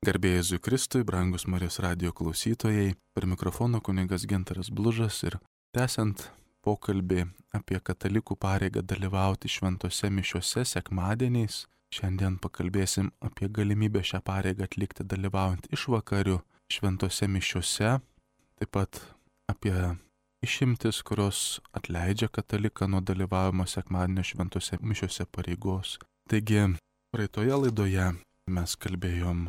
Garbė Jėzui Kristui, brangus Marijos radijo klausytojai, per mikrofoną kunigas Gintaras Blužas ir tęsiant pokalbį apie katalikų pareigą dalyvauti šventose mišiose sekmadieniais, šiandien pakalbėsim apie galimybę šią pareigą atlikti dalyvaujant išvakarių šventose mišiose, taip pat apie išimtis, kurios atleidžia kataliką nuo dalyvavimo sekmadienio šventose mišiose pareigos. Taigi, praeitoje laidoje mes kalbėjom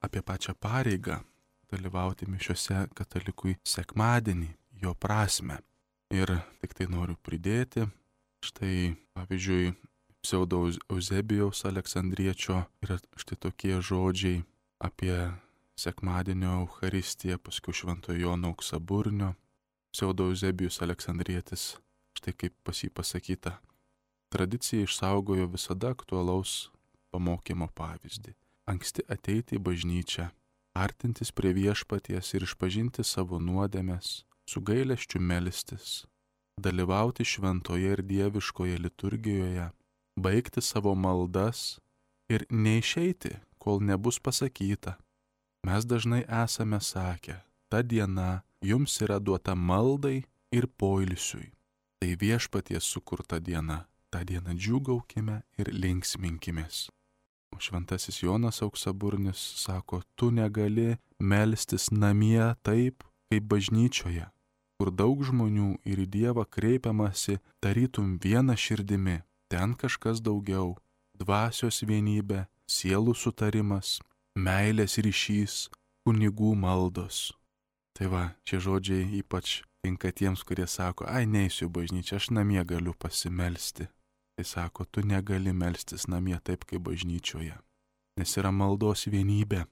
apie pačią pareigą dalyvauti mišiose katalikui sekmadienį, jo prasme. Ir tik tai noriu pridėti, štai pavyzdžiui, pseudo Euzebijaus Aleksandriečio yra štai tokie žodžiai apie sekmadienio Eucharistiją, paskui Šventojo Jono Auksaburnio. Pseudo Euzebijus Aleksandrietis, štai kaip pas jį pasakyta, tradicija išsaugojo visada aktualaus pamokymo pavyzdį. Anksti ateiti į bažnyčią, artintis prie viešpaties ir išpažinti savo nuodėmes, su gailesčiu melstis, dalyvauti šventoje ir dieviškoje liturgijoje, baigti savo maldas ir neišeiti, kol nebus pasakyta. Mes dažnai esame sakę, ta diena jums yra duota maldai ir poilsiui. Tai viešpaties sukurta diena, tą dieną džiūgaukime ir linksminkimės. O šventasis Jonas Auksaburnis sako, tu negali melstis namie taip, kaip bažnyčioje, kur daug žmonių ir į Dievą kreipiamasi tarytum viena širdimi, ten kažkas daugiau, dvasios vienybė, sielų sutarimas, meilės ryšys, kunigų maldos. Tai va, šie žodžiai ypač tinka tiems, kurie sako, neisiu į bažnyčią, aš namie galiu pasimelsti. Tai sako, tu negali melstis namie taip, kaip bažnyčioje, nes yra maldos vienybė.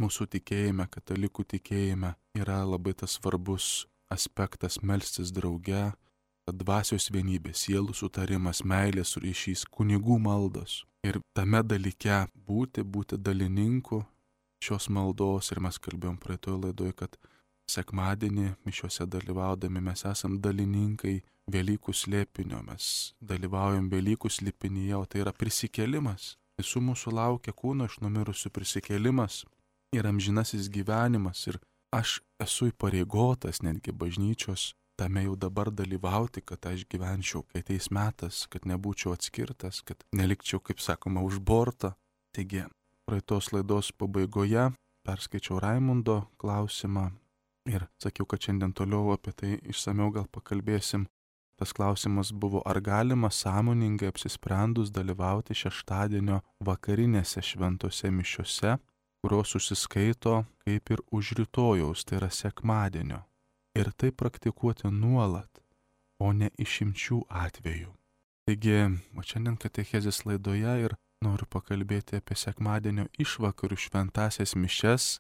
Mūsų tikėjime, katalikų tikėjime yra labai tas svarbus aspektas melstis drauge, dvasios vienybė, sielų sutarimas, meilės ryšys, kunigų maldos. Ir tame dalyke būti dalininku šios maldos. Ir mes kalbėjom praeitoje laidoje, kad sekmadienį mišiuose dalyvaudami mes esam dalininkai Velykų slėpinio, mes dalyvaujam Velykų slėpinyje, o tai yra prisikėlimas. Visų mūsų laukia kūno iš numirusių prisikėlimas ir amžinasis gyvenimas. Ir aš esu įpareigotas netgi bažnyčios tame jau dabar dalyvauti, kad aš gyvenčiau, kai ateis metas, kad nebūčiau atskirtas, kad nelikčiau, kaip sakoma, už bortą. Taigi, praeitos laidos pabaigoje perskaičiau Raimundo klausimą ir sakiau, kad šiandien toliau apie tai išsamiau gal pakalbėsim. Tas klausimas buvo, ar galima sąmoningai apsisprendus dalyvauti šeštadienio vakarinėse šventose mišiose, kurios užsiskaito kaip ir už rytojaus, tai yra sekmadienio. Ir tai praktikuoti nuolat, o ne išimčių atveju. Taigi, šiandien katechezės laidoje ir noriu pakalbėti apie sekmadienio išvakarių šventasias mišias.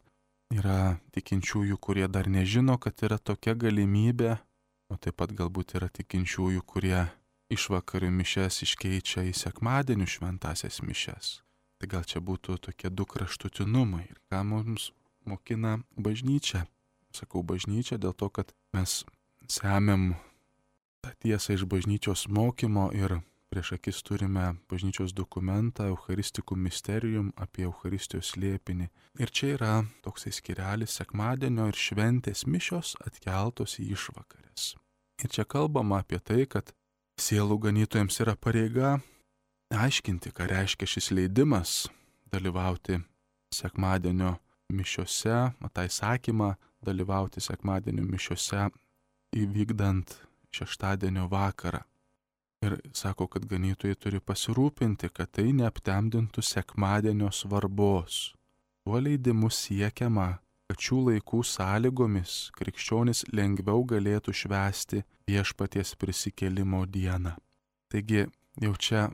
Yra tikinčiųjų, kurie dar nežino, kad yra tokia galimybė, o taip pat galbūt yra tikinčiųjų, kurie išvakarių mišias iškeičia į sekmadienių šventasias mišias. Tai gal čia būtų tokie du kraštutinumai. Ir ką mums mokina bažnyčia? Sakau bažnyčia dėl to, kad mes semiam tą tiesą iš bažnyčios mokymo ir prieš akis turime bažnyčios dokumentą Eucharisticum Mysterium apie Eucharistijos slėpinį. Ir čia yra toksai skirelis sekmadienio ir šventės mišios atkeltos į išvakarės. Ir čia kalbama apie tai, kad sielų ganytojams yra pareiga aiškinti, ką reiškia šis leidimas dalyvauti sekmadienio mišiose, tą įsakymą dalyvauti sekmadienio mišiose įvykdant šeštadienio vakarą. Ir sako, kad ganytojai turi pasirūpinti, kad tai neaptemdintų sekmadienio svarbos. Tuo leidimu siekiama, kad šių laikų sąlygomis krikščionis lengviau galėtų švęsti viešpaties prisikėlimo dieną. Taigi jau čia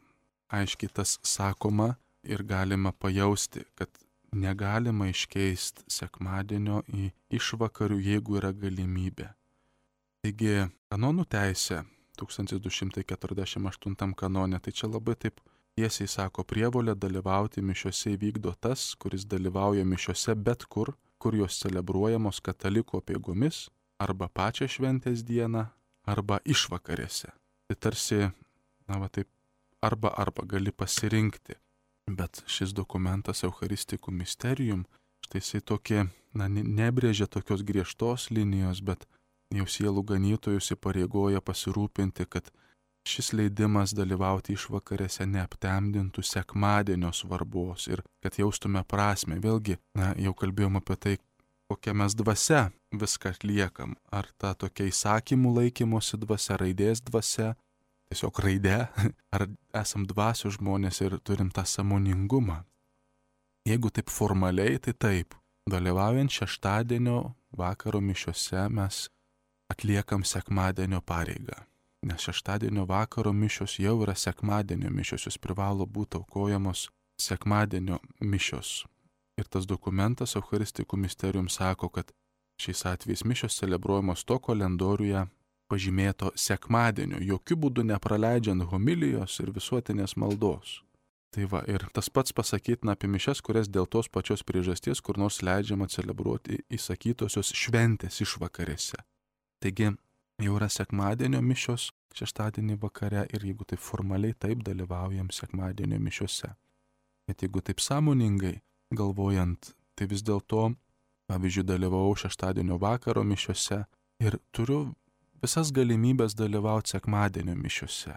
aiškiai tas sakoma ir galima pajausti, kad negalima iškeisti sekmadienio į išvakarių, jeigu yra galimybė. Taigi kanonų teisė 1248 kanone, tai čia labai taip tiesiai sako, prievolę dalyvauti mišiose įvykdo tas, kuris dalyvauja mišiose bet kur, kur jos celebruojamos katalikų apeigomis, arba pačią šventės dieną, arba išvakarėse. Tai tarsi, taip, arba gali pasirinkti. Bet šis dokumentas Eucharisticum Mysterium, Tai jisai tokie, nebrėžia tokios griežtos linijos, bet jau sielų ganytojus įpareigoja pasirūpinti, kad šis leidimas dalyvauti išvakarėse neaptemdintų sekmadienio svarbos ir kad jaustume prasme. Vėlgi, jau kalbėjom apie tai, kokią mes dvasia viską atliekam. Ar ta tokia įsakymų laikymosi dvasia, raidės dvasia, tiesiog raidė, ar esam dvasios žmonės ir turim tą sąmoningumą. Jeigu taip formaliai, tai taip. Dalyvaujant šeštadienio vakaro mišiose mes atliekam sekmadienio pareigą. Nes šeštadienio vakaro mišios jau yra sekmadienio mišios, jos privalo būti aukojamos sekmadienio mišios. Ir tas dokumentas Eucharistikų Mysterium sako, kad šiais atvejais mišios celebruojamos to kalendoriuje pažymėto sekmadienio, jokių būdų nepraleidžiant homilijos ir visuotinės maldos. Tai va, ir tas pats pasakytina apie mišias, kurias dėl tos pačios priežasties kur nors leidžiama celebruoti įsakytosios šventės išvakarėse. Taigi, jau yra sekmadienio mišios šeštadienį vakare ir jeigu taip formaliai taip dalyvaujam sekmadienio mišiose. Bet jeigu taip sąmoningai galvojant, tai vis dėlto, pavyzdžiui, dalyvavau šeštadienio vakaro mišiose ir turiu visas galimybės dalyvauti sekmadienio mišiose.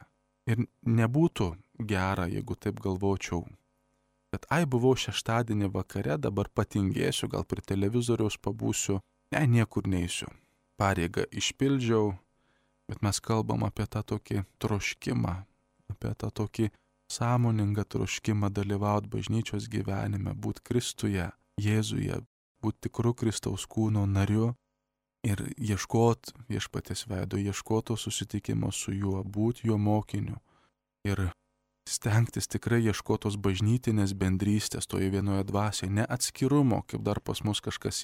Ir nebūtų gera, jeigu taip galvočiau, kad buvau šeštadienį vakare, dabar patingėsiu, gal prie televizoriaus pabūsiu, niekur neisiu. Pareigą išpildžiau, bet mes kalbam apie tą tokį troškimą, apie tą tokį sąmoningą troškimą dalyvauti bažnyčios gyvenime, būti Kristuje, Jėzuje, būti tikru Kristaus kūno nariu ir ieškoti viešpaties veido, ieškoti susitikimo su juo, būti jo mokiniu ir stengtis tikrai ieškotos bažnytinės bendrystės toje vienoje dvasioje, ne atskirumo, kaip dar pas mus kažkas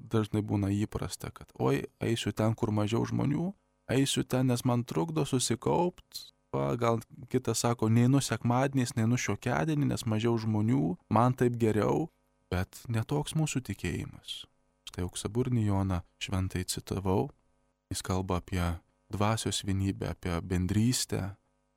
dažnai būna įprasta, kad eisiu ten, kur mažiau žmonių, eisiu ten, nes man trukdo susikaupt, gal kitas sako, neinu sekmadieniais, neinu šiokiadienį, nes mažiau žmonių, man taip geriau, bet netoks mūsų tikėjimas. Štai Auksaburnį Joną šventai citavau, jis kalba apie dvasios vienybę, apie bendrystę.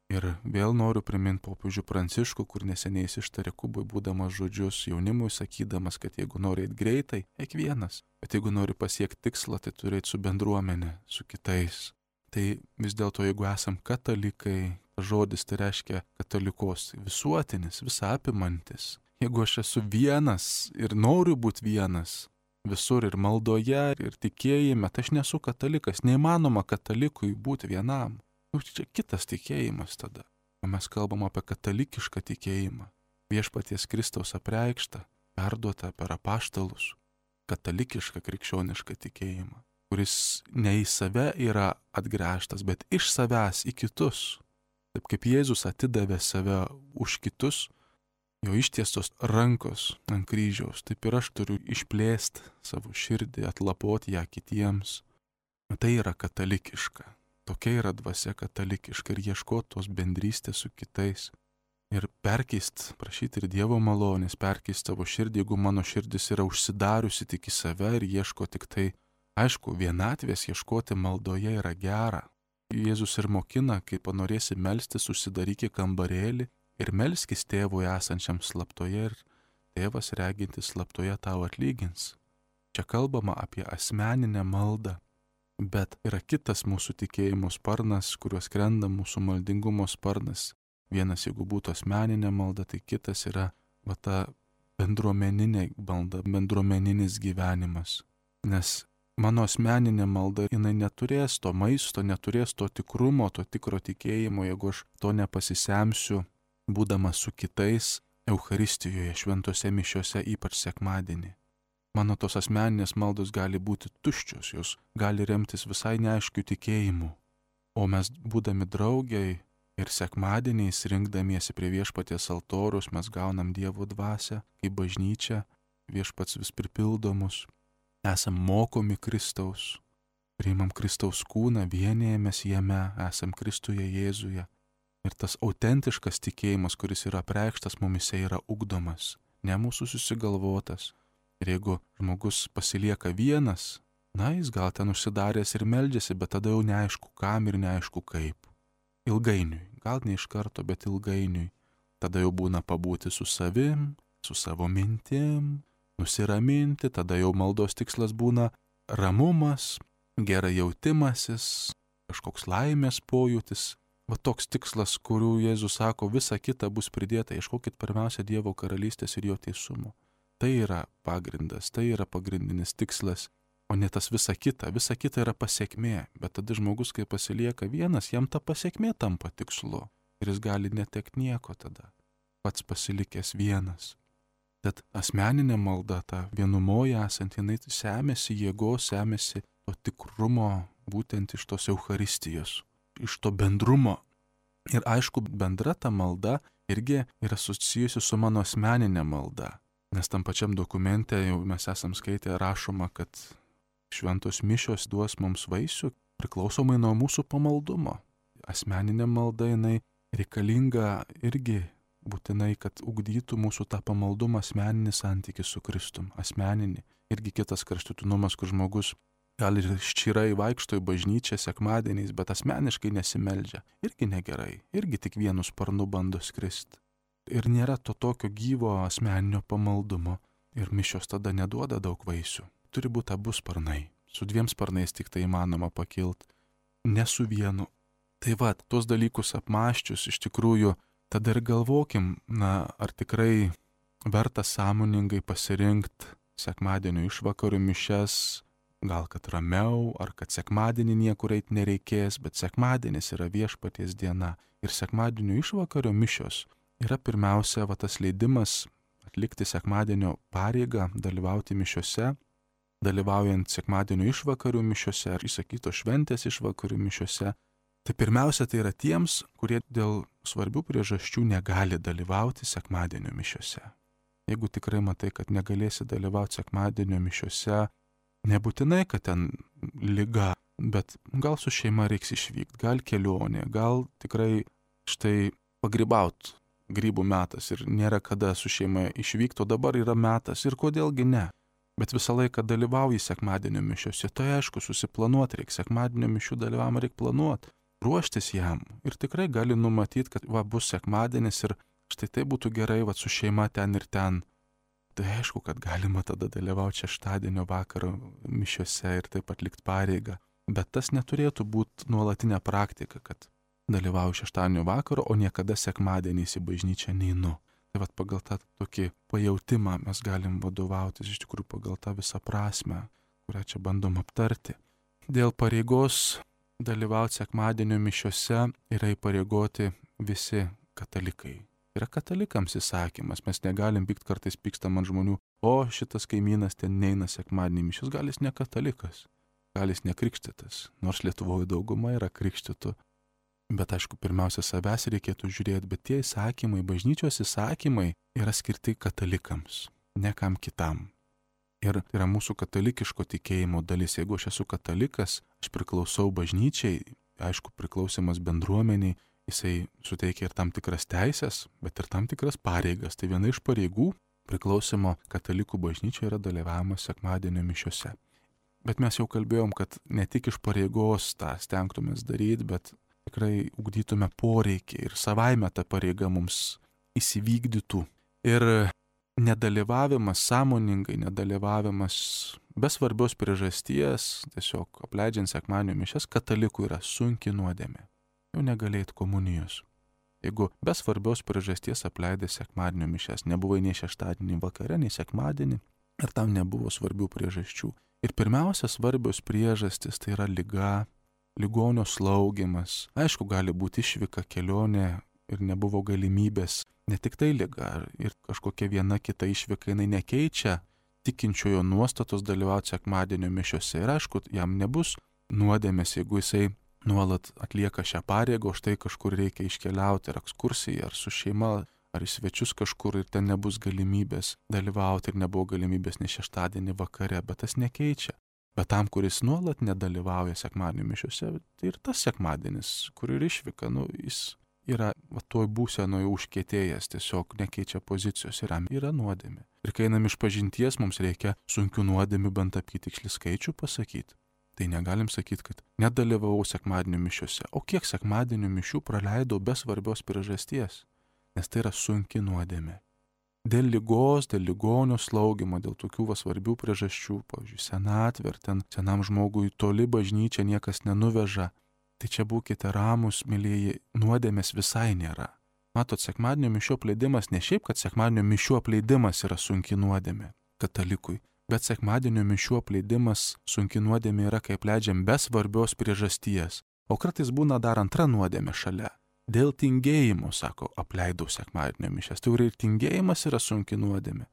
Ir vėl noriu priminti popiežių Pranciškų, kur neseniai ištarė Kubui būdamas žodžius jaunimui, sakydamas, kad jeigu nori eiti greitai, eik vienas, bet jeigu nori pasiekti tikslą, tai turi eiti su bendruomenė, su kitais. Tai vis dėlto, jeigu esam katalikai, žodis tai reiškia katalikos visuotinis, visą apimantis. Jeigu aš esu vienas ir noriu būti vienas, visur ir maldoje, ir tikėjime, tai aš nesu katalikas, neįmanoma katalikui būti vienam. Čia kitas tikėjimas tada. O mes kalbam apie katalikišką tikėjimą. Viešpaties Kristaus apreikštą, perduotą per apaštalus. Katalikišką krikščionišką tikėjimą, kuris ne į save yra atgręžtas, bet iš savęs į kitus. Taip kaip Jėzus atidavė save už kitus, jo ištiestos rankos ant kryžiaus, taip ir aš turiu išplėsti savo širdį, atlapoti ją kitiems. Tai yra katalikiška. Tokia yra dvasia katalikiška ir ieškoti tos bendrystės su kitais. Ir perkeist, prašyti ir Dievo malonės, perkeist savo širdį, jeigu mano širdis yra užsidariusi tik į save ir ieško tik tai, aišku, vienatvės ieškoti maldoje yra gera. Jėzus ir mokina, kai panorėsi melstis, užsidaryki kambarėlį ir melskis tėvui esančiam slaptoje ir tėvas regintis slaptoje tau atlygins. Čia kalbama apie asmeninę maldą. Bet yra kitas mūsų tikėjimo sparnas, kuriuo skrenda mūsų maldingumo sparnas. Vienas, jeigu būtų asmeninė malda, tai kitas yra ta bendruomeninė malda, bendruomeninis gyvenimas. Nes mano asmeninė malda, jinai neturės to maisto, neturės to tikrumo, to tikro tikėjimo, jeigu aš to nepasisemsiu, būdamas su kitais Eucharistijoje, šventose mišiose, ypač sekmadienį. Mano tos asmeninės maldos gali būti tuščios, jos gali remtis visai neaiškių tikėjimų. O mes būdami draugiai ir sekmadieniais rinkdamiesi prie viešpaties altoriaus, mes gaunam Dievo dvasią, kaip bažnyčia, viešpats vis pripildo mus. Esam mokomi Kristaus, priimam Kristaus kūną, vienijamės jame, esam Kristuje Jėzuje. Ir tas autentiškas tikėjimas, kuris yra apreikštas mumise, yra ugdomas, ne mūsų susigalvotas. Ir jeigu žmogus pasilieka vienas, jis gal ten užsidaręs ir meldžiasi, bet tada jau neaišku kam ir neaišku kaip. Ilgainiui, gal ne iš karto, bet ilgainiui. Tada jau būna pabūti su savim, su savo mintim, nusiraminti, tada jau maldos tikslas būna ramumas, gerai jautimasis, kažkoks laimės pojūtis. Va toks tikslas, kurių Jėzus sako, visa kita bus pridėta, ieškokit pirmiausia Dievo karalystės ir jo teisumo. Tai yra pagrindas, tai yra pagrindinis tikslas, o ne tas visa kita yra pasiekmė, bet tada žmogus, kai pasilieka vienas, jam ta pasiekmė tampa tikslu ir jis gali netekti nieko tada, pats pasilikęs vienas. Tad asmeninė malda, ta vienumoje esant, jinai semėsi jėgos, semėsi to tikrumo būtent iš tos Eucharistijos, iš to bendrumo. Ir aišku, bendra ta malda irgi yra susijusi su mano asmeninė malda. Nes tam pačiam dokumente jau mes esam skaitę rašoma, kad šventos mišios duos mums vaisių priklausomai nuo mūsų pamaldumo. Asmeninė malda jinai reikalinga irgi būtinai, kad ugdytų mūsų tą pamaldumą, asmeninį santykį su Kristum, asmeninį. Irgi kitas kraštutinumas, kur žmogus gal ir ščirai vaikšto į bažnyčią sekmadieniais, bet asmeniškai nesimeldžia. Irgi negerai, irgi tik vienu sparnu bando skristi. Ir nėra to tokio gyvo asmeninio pamaldumo. Ir mišios tada neduoda daug vaisių. Turi būti abu sparnai. Su 2 sparnais tik tai įmanoma pakilti, ne su vienu. Tai va, tuos dalykus apmąsčius iš tikrųjų, tada ir galvokim, ar tikrai verta sąmoningai pasirinkti sekmadienio išvakarių mišias, gal kad ramiau, ar kad sekmadienį niekur eit nereikės, bet sekmadienis yra viešpaties diena. Ir sekmadienio išvakarių mišios yra pirmiausia tas leidimas atlikti sekmadienio pareigą, dalyvauti mišiose, dalyvaujant sekmadienio išvakarių mišiose ar įsakytos šventės išvakarių mišiose. Tai pirmiausia, tai yra tiems, kurie dėl svarbių priežasčių negali dalyvauti sekmadienio mišiose. Jeigu tikrai matai, kad negalėsi dalyvauti sekmadienio mišiose, nebūtinai, kad ten liga, bet gal su šeima reiks išvykti, gal kelionė, gal tikrai štai pagrybaut grybų metas ir nėra kada su šeima išvykti, o dabar yra metas ir kodėlgi ne. Bet visą laiką dalyvauji sekmadienio mišiose, tai aišku, susiplanuoti reikia, sekmadienio mišių dalyvavimą reikia planuoti, ruoštis jam ir tikrai gali numatyti, kad bus sekmadienis ir štai tai būtų gerai su šeima ten ir ten. Tai aišku, kad galima tada dalyvauti šeštadienio vakaro mišiose ir taip atlikti pareigą, bet tas neturėtų būti nuolatinė praktika, kad dalyvauju šeštadienio vakaro, o niekada sekmadieniais į bažnyčią neinu. Tai pagal tą tokį pajautimą mes galim vadovautis iš tikrųjų pagal tą visą prasmę, kurią čia bandom aptarti. Dėl pareigos dalyvauti sekmadienio mišiose yra įpareigoti visi katalikai. Yra katalikams įsakymas, mes negalim pykti, kartais pykstam ant žmonių, o šitas kaimynas ten neina sekmadienį mišios, gal jis ne katalikas, gal jis nekrikštytas, nors Lietuvoje dauguma yra krikštytų. Bet aišku, pirmiausia, savęs reikėtų žiūrėti, bet tie įsakymai, bažnyčios įsakymai yra skirti katalikams, ne kam kitam. Ir yra mūsų katalikiško tikėjimo dalis. Jeigu aš esu katalikas, aš priklausau bažnyčiai, aišku, priklausimas bendruomeniai, jisai suteikia ir tam tikras teisės, bet ir tam tikras pareigas. Tai viena iš pareigų priklausimo katalikų bažnyčioje yra dalyvavimas sekmadienio mišiose. Bet mes jau kalbėjom, kad ne tik iš pareigos tą stengtumės daryti, bet tikrai ugdytume poreikį ir savaime ta pareiga mums įsivykdytų. Ir nedalyvavimas, sąmoningai nedalyvavimas be svarbios priežasties, tiesiog apleidžiant sekmadienio mišias, katalikų yra sunki nuodėmė. Jau negalėt komunijos. Jeigu be svarbios priežasties apleidai sekmadienio mišias, nebuvai nei šeštadienį vakare, nei sekmadienį, ir tam nebuvo svarbių priežasčių. Ir pirmiausia svarbios priežastys tai yra liga, ligonio slaugimas. Aišku, gali būti išvyka, kelionė ir nebuvo galimybės. Ne tik tai liga ir kažkokia viena kita išvyka, jinai nekeičia tikinčiojo nuostatos dalyvauti sekmadienio mišiose. Ir aišku, jam nebus nuodėmės, jeigu jisai nuolat atlieka šią pareigą, o štai kažkur reikia iškeliauti ar ekskursiją, ar su šeima, ar į svečius kažkur ir ten nebus galimybės dalyvauti ir nebuvo galimybės ne šeštadienį vakare, bet tas nekeičia. Bet tam, kuris nuolat nedalyvauja sekmadienio mišiose, tai ir tas sekmadienis, kur ir išvyka, jis yra toj būsenoje užkietėjęs, tiesiog nekeičia pozicijos ir jam yra nuodėmė. Ir kai einam iš pažinties, mums reikia sunkių nuodėmių bent apytikslį skaičių pasakyti. Tai negalim sakyti, kad nedalyvavau sekmadienio mišiose, o kiek sekmadienio mišių praleidau be svarbios priežasties, nes tai yra sunki nuodėmė. dėl ligos, dėl ligonio slaugymo, dėl tokių svarbių priežasčių, pavyzdžiui, senatvė, ar ten senam žmogui toli bažnyčia niekas nenuveža, tai čia būkite ramūs, mylėjai, nuodėmės visai nėra. Matot, sekmadienio mišių apleidimas ne šiaip, kad sekmadienio mišių apleidimas yra sunki nuodėmė katalikui, bet sekmadienio mišių apleidimas sunki nuodėmė yra, kai apleidžiam be svarbios priežasties. O kartais būna dar antra nuodėmė šalia. Dėl tingėjimo, sako, apleidau sekmadienio mišias. Tai ir tingėjimas yra sunki nuodėmė.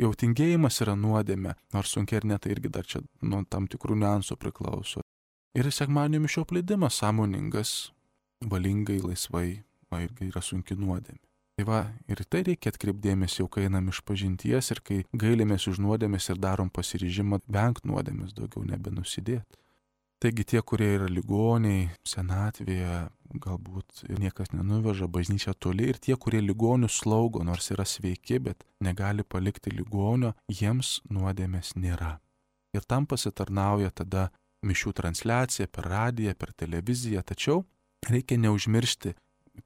Jau tingėjimas yra nuodėmė, nors sunkiai ir ne, tai irgi dar čia nuo tam tikrų niuansų priklauso. Ir sekmadienio mišių apleidimas sąmoningas, valingai, laisvai, irgi yra sunki nuodėmė. Tai va, ir tai reikia atkreipdėmės jau, kai einam iš pažinties ir kai gailimės už nuodėmės ir darom pasiryžimą vengti nuodėmės, daugiau nebenusidėti. Taigi tie, kurie yra ligoniai, senatvėje, galbūt niekas nenuveža, bažnyčia toli, ir tie, kurie ligonių slaugo, nors yra sveiki, bet negali palikti ligonio, jiems nuodėmės nėra. Ir tam pasitarnauja tada mišių transliacija per radiją, per televiziją, tačiau reikia neužmiršti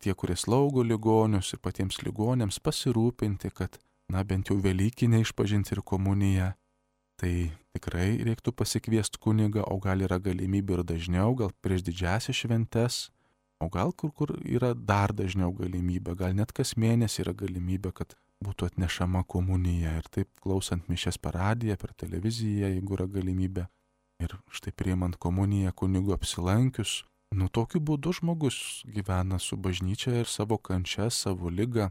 tie, kurie slaugo ligonius ir patiems ligonėms pasirūpinti, kad, bent jau Velykinė išpažinti ir komunija, tai tikrai reiktų pasikviesti kunigą, o gal yra galimybė ir dažniau, gal prieš didžiąsias šventes, o gal kur yra dar dažniau galimybė, gal net kas mėnesį yra galimybė, kad būtų atnešama komunija ir taip klausant mišias per radiją, per televiziją, jeigu yra galimybė. Ir štai priimant komuniją kunigu apsilankius, tokiu būdu žmogus gyvena su bažnyčia ir savo kančia, savo ligą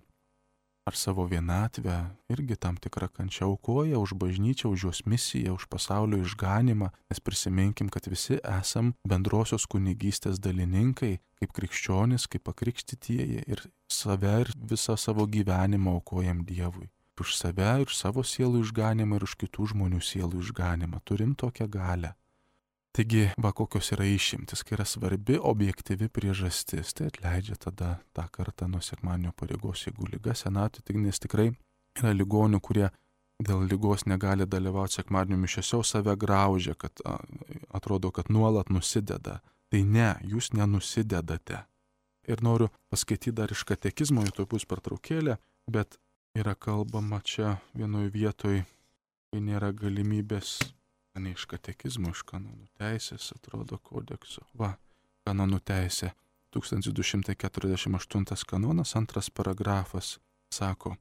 ar savo vienatvę, irgi tam tikrą kančią aukoja už bažnyčią, už jos misiją, už pasaulio išganimą, nes prisiminkim, kad visi esam bendrosios kunigystės dalininkai, kaip krikščionys, kaip pakrikštytieji, ir save ir visą savo gyvenimą aukojam Dievui. Už save ir savo sielų išganimą ir už kitų žmonių sielų išganimą. Turim tokią galią. Taigi, kokios yra išimtis, kai yra svarbi objektyvi priežastis, tai atleidžia tada tą kartą nuo sekmadienio pareigos, jeigu liga senatvė, nes tikrai yra ligonių, kurie dėl ligos negali dalyvauti sekmadienio mišiose, save graužia, kad atrodo, kad nuolat nusideda. Tai ne, jūs nenusidedate. Ir noriu paskaityti dar iš katekizmo, jau tuoj bus pertraukėlė, bet yra kalbama čia vienoje vietoje, kai nėra galimybės. Ne iš katekizmo, iš kanonų teisės, atrodo, kodekso. Kanonų teisė, 1248 kanonas, 2 paragrafas, sako,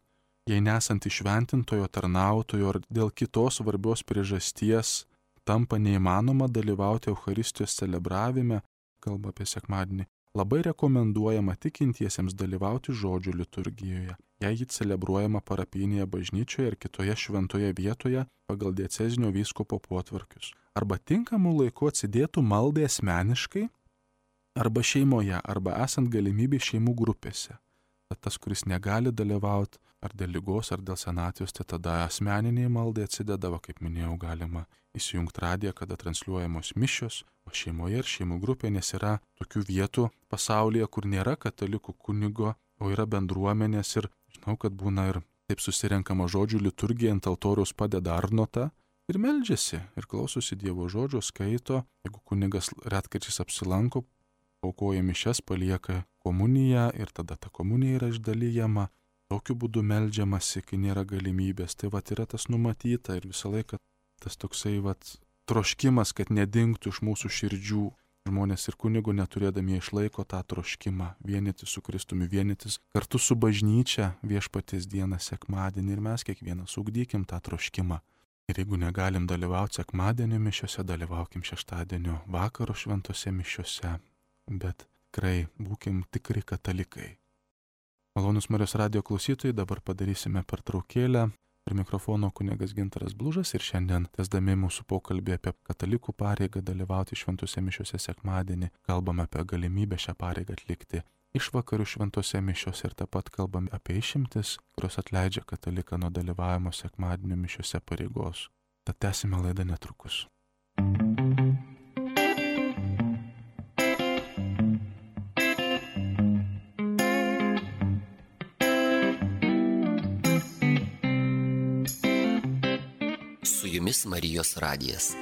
jei nesant įšventintojo tarnautojo ar dėl kitos svarbios priežasties tampa neįmanoma dalyvauti Eucharistijos celebravime, kalba apie sekmadienį, labai rekomenduojama tikintiesiems dalyvauti žodžių liturgijoje, jei ji celebruojama parapinėje bažnyčioje ir kitoje šventoje vietoje pagal diecezinio vyskupo potvarkius, arba tinkamų laiku atsidėtų maldai asmeniškai, arba šeimoje, arba esant galimybė šeimų grupėse. Tad tas, kuris negali dalyvauti ar dėl ligos, ar dėl senatvės, tai tada asmeniniai maldai atsidedavo, kaip minėjau, galima įsijungti radiją, kada transliuojamos mišios, o šeimoje ir šeimų grupė, nes yra tokių vietų pasaulyje, kur nėra katalikų kunigo, o yra bendruomenės ir žinau, kad būna ir taip susirenkama žodžių liturgija, ant altoriaus padeda arnotą ir meldžiasi ir klausosi Dievo žodžio, skaito, jeigu kunigas retkarčiais apsilanko, aukoja mišias, palieka komuniją ir tada ta komunija yra išdalijama. Tokiu būdu meldžiamasi, kai nėra galimybės. Tai yra tas numatyta ir visą laiką tas toksai troškimas, kad nedingtų iš mūsų širdžių. Žmonės ir kunigų neturėdami išlaiko tą troškimą, vienytis su Kristumi, vienytis kartu su bažnyčia viešpaties dieną sekmadienį ir mes kiekvienas ugdykim tą troškimą. Ir jeigu negalim dalyvauti sekmadienio mišiose, dalyvaukim šeštadienio vakaro šventose mišiose, bet tikrai būkim tikri katalikai. Malonūs Marijos radijo klausytojai, dabar padarysime pertraukėlę. Prie mikrofono kunigas Gintaras Blužas ir šiandien, tęsdami mūsų pokalbį apie katalikų pareigą dalyvauti šventose mišiose sekmadienį, kalbame apie galimybę šią pareigą atlikti išvakarių šventose mišiose ir taip pat kalbame apie išimtis, kurios atleidžia kataliką nuo dalyvavimo sekmadienio mišiose pareigos. Tad tęsime laidą netrukus. Su jumis Marijos radijas.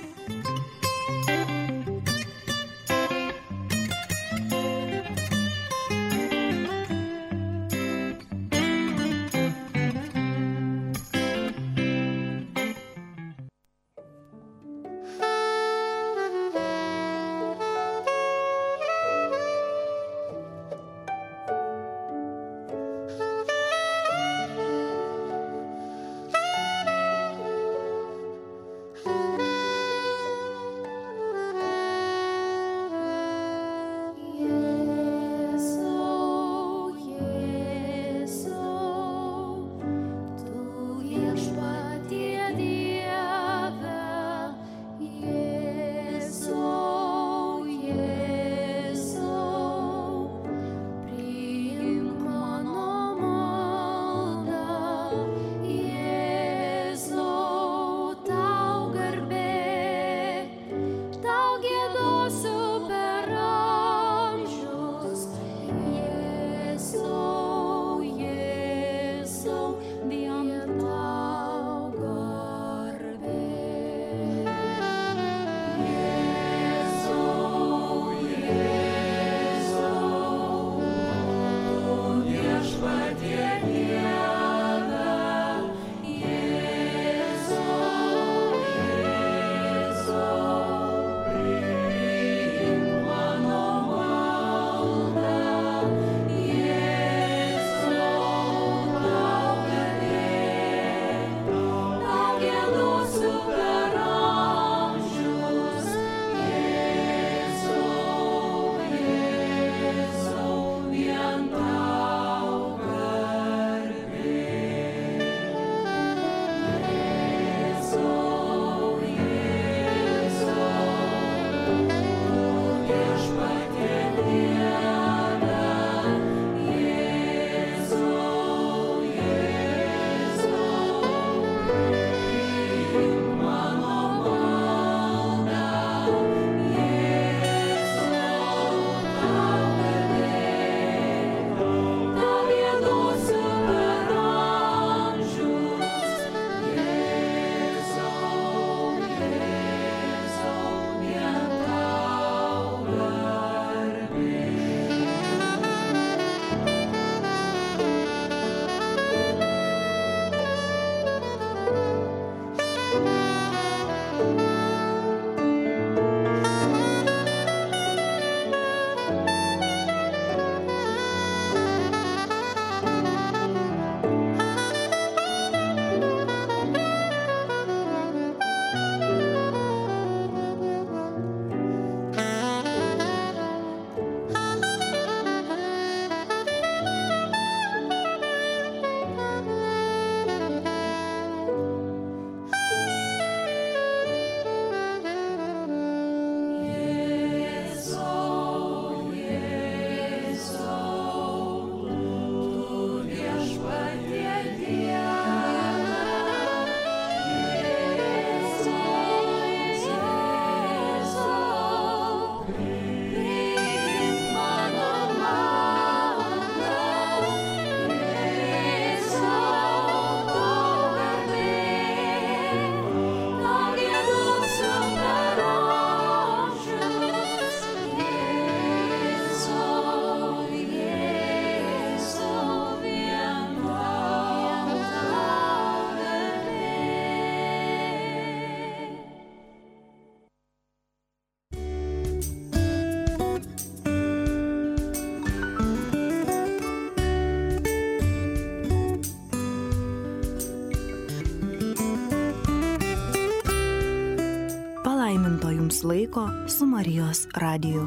palaiminto jums laiko su Marijos radiju.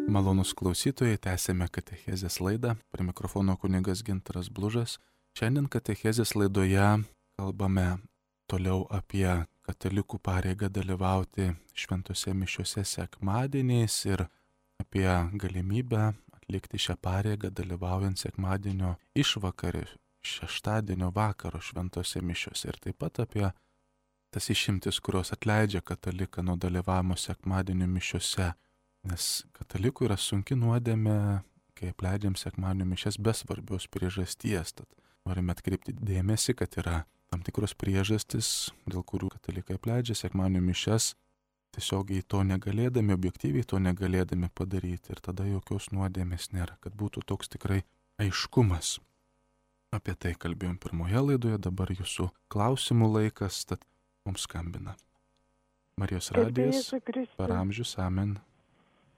Malonus klausytojai, tęsėme katechezės laidą. Prie mikrofono kunigas Gintaras Blužas. Šiandien katechezės laidoje kalbame toliau apie katalikų pareigą dalyvauti šventose mišiose sekmadieniais ir apie galimybę atlikti šią pareigą dalyvaujant sekmadienio išvakarį, šeštadienio vakaro šventose mišiose ir taip pat apie tas išimtis, kurios atleidžia kataliką nuo dalyvavimo sekmadienio mišiose. Nes katalikų yra sunki nuodėmė, kai apleidžiam sekmadienio mišias be svarbios priežasties. Tad norime atkreipti dėmesį, kad yra tam tikros priežastis, dėl kurių katalikai apleidžia sekmadienio mišias, tiesiogiai to negalėdami, objektyviai to negalėdami padaryti. Ir tada jokios nuodėmės nėra, kad būtų toks tikrai aiškumas. Apie tai kalbėjom pirmoje laidoje, dabar jūsų klausimų laikas, tad mums skambina Marijos radijas per amžius, amen.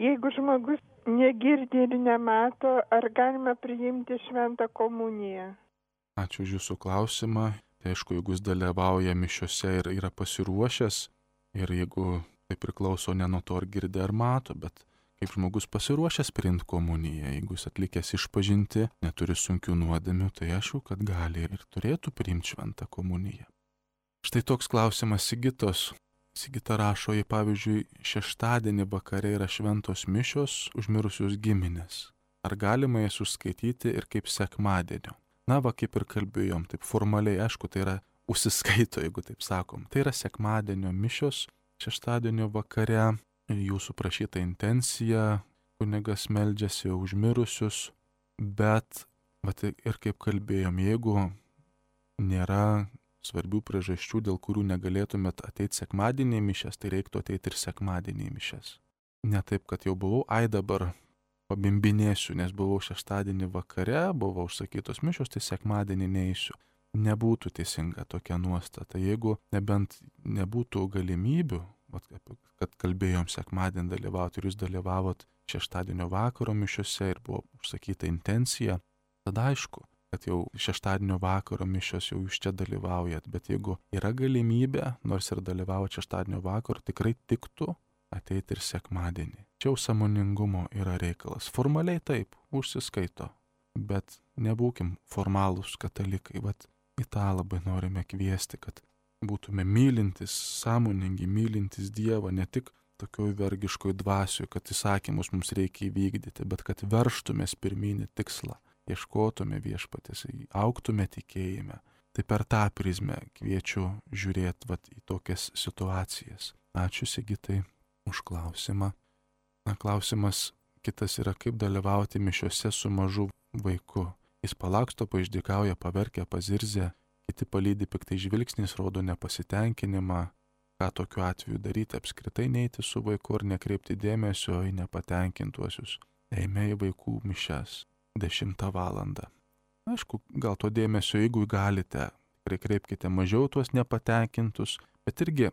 Jeigu žmogus negirdi ir nemato, ar galima priimti šventą komuniją? Ačiū už jūsų klausimą. Tai aišku, jeigu jis dalyvauja mišiose ir yra pasiruošęs, ir jeigu tai priklauso ne nuo to, ar girdi ar mato, bet kaip žmogus pasiruošęs priimti komuniją, jeigu jis atlikęs išpažinti, neturi sunkių nuodėmių, tai aišku, kad gali ir turėtų priimti šventą komuniją. Štai toks klausimas Sigitos. Sigita rašo, jei pavyzdžiui šeštadienį vakare yra šventos mišios už mirusius giminės. Ar galima jas užskaityti ir kaip sekmadienio? Na va, kaip ir kalbėjom, taip formaliai, aišku, tai yra užsiskaito, jeigu taip sakom. Tai yra sekmadienio mišios šeštadienio vakare, jūsų prašyta intencija, kunigas meldžiasi už mirusius, bet va, ir kaip kalbėjom, jeigu nėra svarbių priežasčių, dėl kurių negalėtumėt ateiti sekmadienį mišias, tai reiktų ateiti ir sekmadienį mišias. Ne taip, kad jau buvau, dabar pabimbinėsiu, nes buvau šeštadienį vakare, buvo užsakytos mišios, tai sekmadienį neįsiu. Nebūtų teisinga tokia nuostata. Jeigu nebent nebūtų galimybių, kad kalbėjom sekmadienį dalyvauti ir jūs dalyvavot šeštadienio vakaro mišiose ir buvo užsakyta intencija, tada aišku, kad jau šeštadienio vakaro mišios jau jūs čia dalyvaujat, bet jeigu yra galimybė, nors ir dalyvaujat šeštadienio vakaro, tikrai tiktų ateiti ir sekmadienį. Čia jau sąmoningumo yra reikalas. Formaliai taip, užsiskaito, bet nebūkim formalūs katalikai. Vat į tą labai norime kviesti, kad būtume mylintis, sąmoningi, mylintis Dievą, ne tik tokioj vergiškoj dvasioj, kad įsakymus mums reikia įvykdyti, bet kad verštumės pirminį tikslą. Ieškotume viešpatės, augtume tikėjime. Tai per tą prizmę kviečiu žiūrėti į tokias situacijas. Ačiū Sigitai už klausimą. Na, klausimas kitas yra, kaip dalyvauti mišiose su mažu vaiku. Jis palaksto, paišdykauja, paverkia, pazirzia, kiti palydi piktai žvilgsniais, rodo nepasitenkinimą. Ką tokiu atveju daryti, apskritai neiti su vaiku ar nekreipti dėmesio į nepatenkintuosius. Eime į vaikų mišias. 10 valandą. Aišku, gal to dėmesio, jeigu galite, tikrai kreipkite mažiau tuos nepatenkintus, bet irgi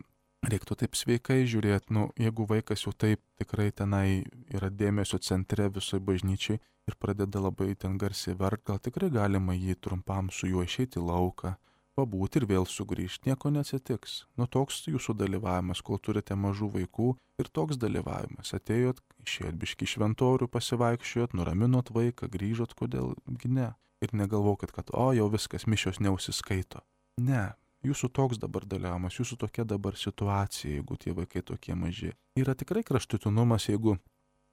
reiktų taip sveikai žiūrėti, jeigu vaikas jau taip tikrai tenai yra dėmesio centre visoje bažnyčiai ir pradeda labai ten garsiai verkti, gal tikrai galima jį trumpam su juo išeiti į lauką, pabūti ir vėl sugrįžti, nieko neatsitiks. Toks jūsų dalyvavimas, kol turite mažų vaikų, ir toks dalyvavimas. Atėjot, išėjot biškį šventorių, pasivaikščiojot, nuraminot vaiką, grįžot, kodėlgi ne. Ir negalvokit, kad jau viskas, mišios neužsiskaito. Ne, jūsų toks dabar dalyvavimas, jūsų tokia dabar situacija, jeigu tie vaikai tokie maži. Yra tikrai kraštutinumas, jeigu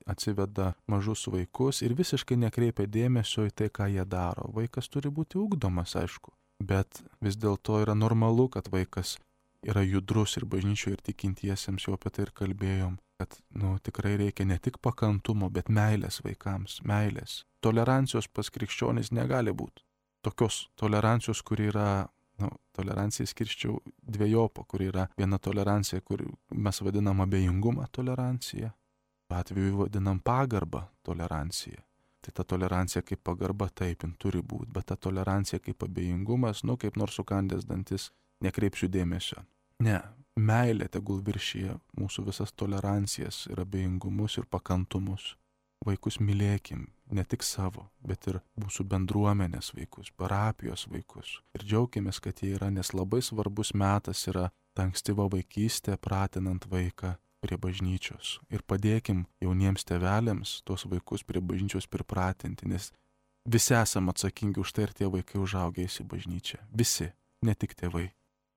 atsiveda mažus vaikus ir visiškai nekreipia dėmesio į tai, ką jie daro. Vaikas turi būti ugdomas, aišku. Bet vis dėlto yra normalu, kad vaikas yra judrus ir bažnyčioje ir tikintiesiems, jau apie tai ir kalbėjom, kad tikrai reikia ne tik pakantumo, bet meilės vaikams, meilės. Tolerancijos pas krikščionis negali būti. Tokios tolerancijos, kur yra, tolerancija skirščiau dviejopą, kur yra viena tolerancija, kur mes vadinam abejingumą toleranciją, atveju vadinam pagarbą toleranciją. Tai ta tolerancija kaip pagarba taip turi būti, bet ta tolerancija kaip abejingumas, kaip nors sukandęs dantis, nekreipsiu dėmesio. Ne, meilė tegul viršyje mūsų visas tolerancijas ir abejingumus ir pakantumus. vaikus mylėkim, ne tik savo, bet ir mūsų bendruomenės vaikus, parapijos vaikus. Ir džiaukimės, kad jie yra, nes labai svarbus metas yra ta ankstyva vaikystė, pratinant vaiką prie bažnyčios. Ir padėkim jauniems tėveliams tuos vaikus prie bažnyčios pripratinti, nes visi esame atsakingi už tai ir tie vaikai užaugę į bažnyčią. Visi, ne tik tėvai.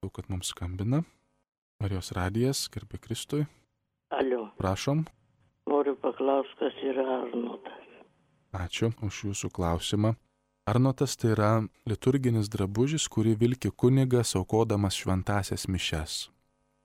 Daug, kad mums skambina. Marijos radijas, garbė Kristui. Alio. Prašom. Noriu paklausti, kas yra arnotas. Ačiū už jūsų klausimą. Arnotas tai yra liturginis drabužis, kurį vilki kunigas aukodamas šventąsias mišias.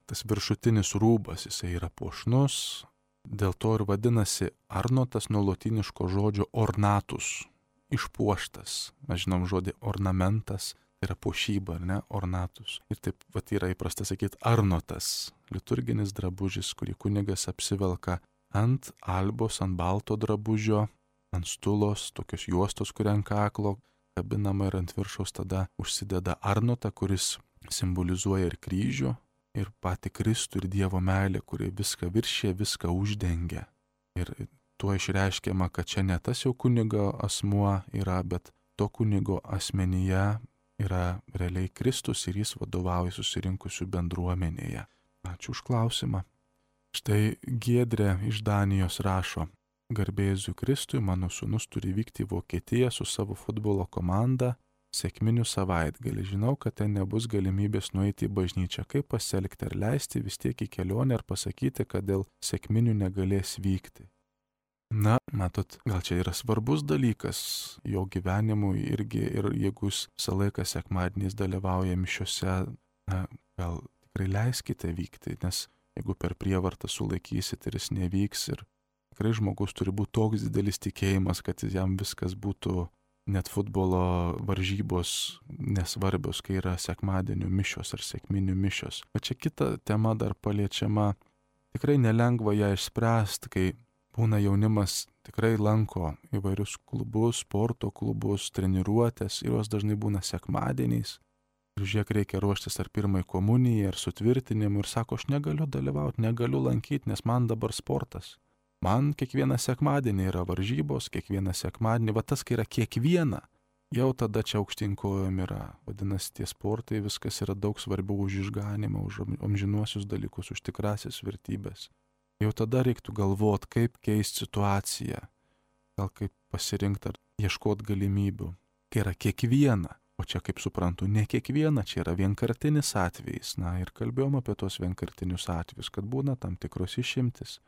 Tas viršutinis rūbas, jisai yra puošnus, dėl to ir vadinasi arnotas nuo lotyniško žodžio ornatus, išpuoštas. Mes žinom žodį ornamentas, tai yra puošyba, ar ne, ornatus. Ir taip vat yra įprasta sakyti arnotas, liturginis drabužis, kurį kunigas apsivelka ant albos, ant balto drabužio, ant stulos, tokios juostos, kuri ant kaklo kabinama ir ant viršaus tada užsideda arnotą, kuris simbolizuoja ir kryžių, ir patį Kristų, ir Dievo meilę, kuri viską viršė, viską uždengia. Ir tuo išreiškiama, kad čia ne tas jau kunigo asmuo yra, bet to kunigo asmenyje yra realiai Kristus ir jis vadovauja susirinkusių bendruomenėje. Ačiū už klausimą. Štai Giedrė iš Danijos rašo: Garbė Jėzui Kristui, mano sūnus turi vykti į Vokietiją su savo futbolo komanda sekminių savaitgalį. Žinau, kad ten nebus galimybės nueiti į bažnyčią. Kaip pasielgti, ar leisti vis tiek į kelionę, ar pasakyti, kad dėl sekminių negalės vykti? Na, matot, gal čia yra svarbus dalykas jo gyvenimui irgi, ir jeigu jis visą laiką sekmadieniais dalyvauja mišiose, na, gal tikrai leiskite vykti, nes jeigu per prievartą sulaikysit ir jis nevyks, ir tikrai žmogus turi būti toks didelis tikėjimas, kad jam viskas būtų, net futbolo varžybos nesvarbios, kai yra sekmadienių mišios ar sekminių mišios. Bet čia kita tema dar paliečiama, tikrai nelengva ją išspręsti, kai būna jaunimas tikrai lanko įvairius klubus, sporto klubus, treniruotės, ir jos dažnai būna sekmadieniais. Ir žiūrėk, reikia ruoštis ar pirmai komunijai, ar sutvirtinimui, ir sako, aš negaliu dalyvauti, negaliu lankyti, nes man dabar sportas. Man kiekvieną sekmadienį yra varžybos, kiekvieną sekmadienį, va tas, kai yra kiekviena, jau tada čia aukštinkojom yra. Vadinasi, tie sportai, viskas yra daug svarbiau už išganimą, už amžinuosius dalykus, už tikrasias vertybės. Jau tada reiktų galvoti, kaip keisti situaciją, gal kaip pasirinkti ar ieškoti galimybių, kai yra kiekviena. O čia, kaip suprantu, ne kiekviena, čia yra vienkartinis atvejis. Na ir kalbėjom apie tos vienkartinius atvejus, kad būna tam tikros išimtis.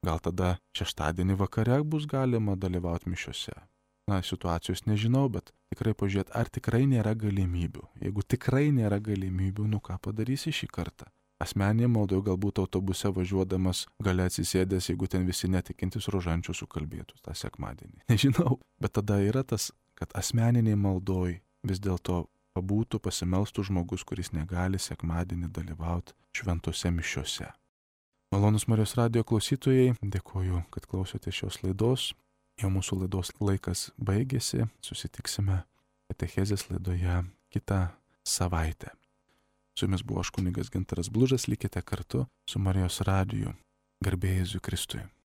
Gal tada šeštadienį vakare bus galima dalyvauti mišiose. Na, situacijos nežinau, bet tikrai pažiūrėti, ar tikrai nėra galimybių. Jeigu tikrai nėra galimybių, nu ką padarysi šį kartą? Asmeninė maldoje galbūt autobuse važiuodamas gale atsisėdęs, jeigu ten visi netikintis rožančių sukalbėtų tą sekmadienį. Nežinau, bet tada yra tas, kad asmeniniai maldoj vis dėlto pabūtų, pasimelstų žmogus, kuris negali sekmadienį dalyvauti šventose mišiose. Malonus Marijos radijo klausytojai, dėkoju, kad klausote šios laidos. Jau mūsų laidos laikas baigėsi, susitiksime katechezės laidoje kitą savaitę. Su jumis buvo aš kunigas Gintaras Blužas, likite kartu su Marijos radiju. Garbė Jėzui Kristui.